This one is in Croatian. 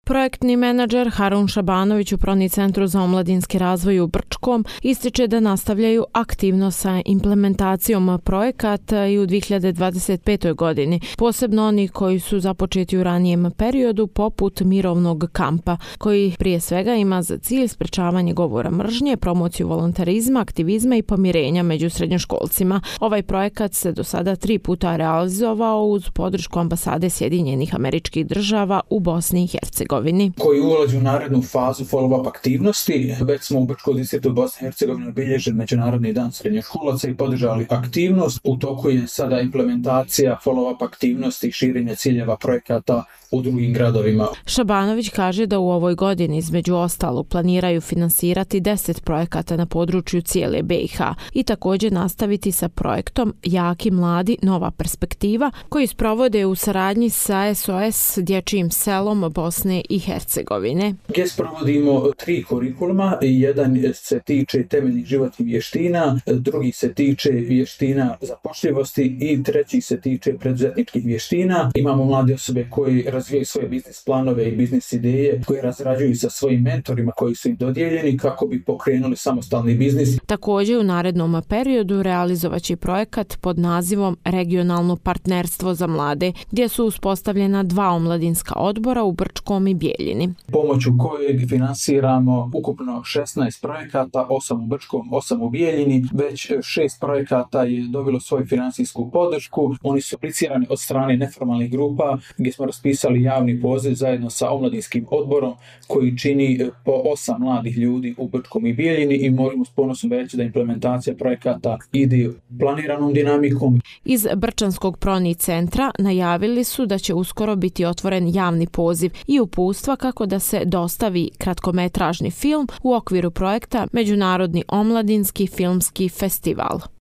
Projektni menadžer Harun Šabanović u Proni centru za omladinski razvoj u Brčkom ističe da nastavljaju aktivno sa implementacijom projekata i u 2025. godini, posebno oni koji su započeti u ranijem periodu poput mirovnog kampa, koji prije svega ima za cilj sprečavanje govora mržnje, promociju volontarizma, aktivizma i pomirenja među srednjoškolcima. Ovaj projekat se do sada 3 puta realizovao uz podršku ambasade Sjedinjenih Američkih Država u Bosni i Hercegovini. Koji ulazi u narednu fazu follow-up aktivnosti. Već smo u Brčkom distriktu Bosne i Hercegovine obilježili Međunarodni dan srednjoškolaca i podržali aktivnost. U toku je sada implementacija follow-up aktivnosti i širenje ciljeva projekata u drugim gradovima. Šabanović kaže da u ovoj godini između ostalog planiraju finansirati 10 projekata na području cijele BiH i također nastaviti sa projektom Jaki mladi nova perspektiva koji sprovode u saradnji sa SOS dječjim selom Bosne i Hercegovine. Gdje provodimo 3 kurikuluma, jedan se tiče temeljnih životnih vještina, drugi se tiče vještina zapošljivosti i treći se tiče preduzetničkih vještina. Imamo mlade osobe koji razvijaju svoje biznis planove i biznis ideje, koje razrađuju sa svojim mentorima koji su im dodijeljeni kako bi pokrenuli samostalni biznis. Također u narednom periodu realizovaće projekat pod nazivom Regionalno partnerstvo za mlade, gdje su uspostavljena 2 omladinska odbora u Brčkom i Bijeljini. Pomoću kojeg finansiramo ukupno 16 projekata, 8 u Brčkom, 8 u Bijeljini. Već 6 projekata je dobilo svoju financijsku podršku. Oni su aplicirani od strane neformalnih grupa gdje smo raspisali javni poziv zajedno sa omladinskim odborom koji čini po 8 mladih ljudi u Brčkom i Bijeljini i možemo s ponosom reći da implementacija projekata ide planiranom dinamikom. Iz Brčanskog Proni centra najavili su da će uskoro biti otvoren javni poziv i uputstva kako da se dostavi kratkometražni film u okviru projekta Međunarodni omladinski filmski festival.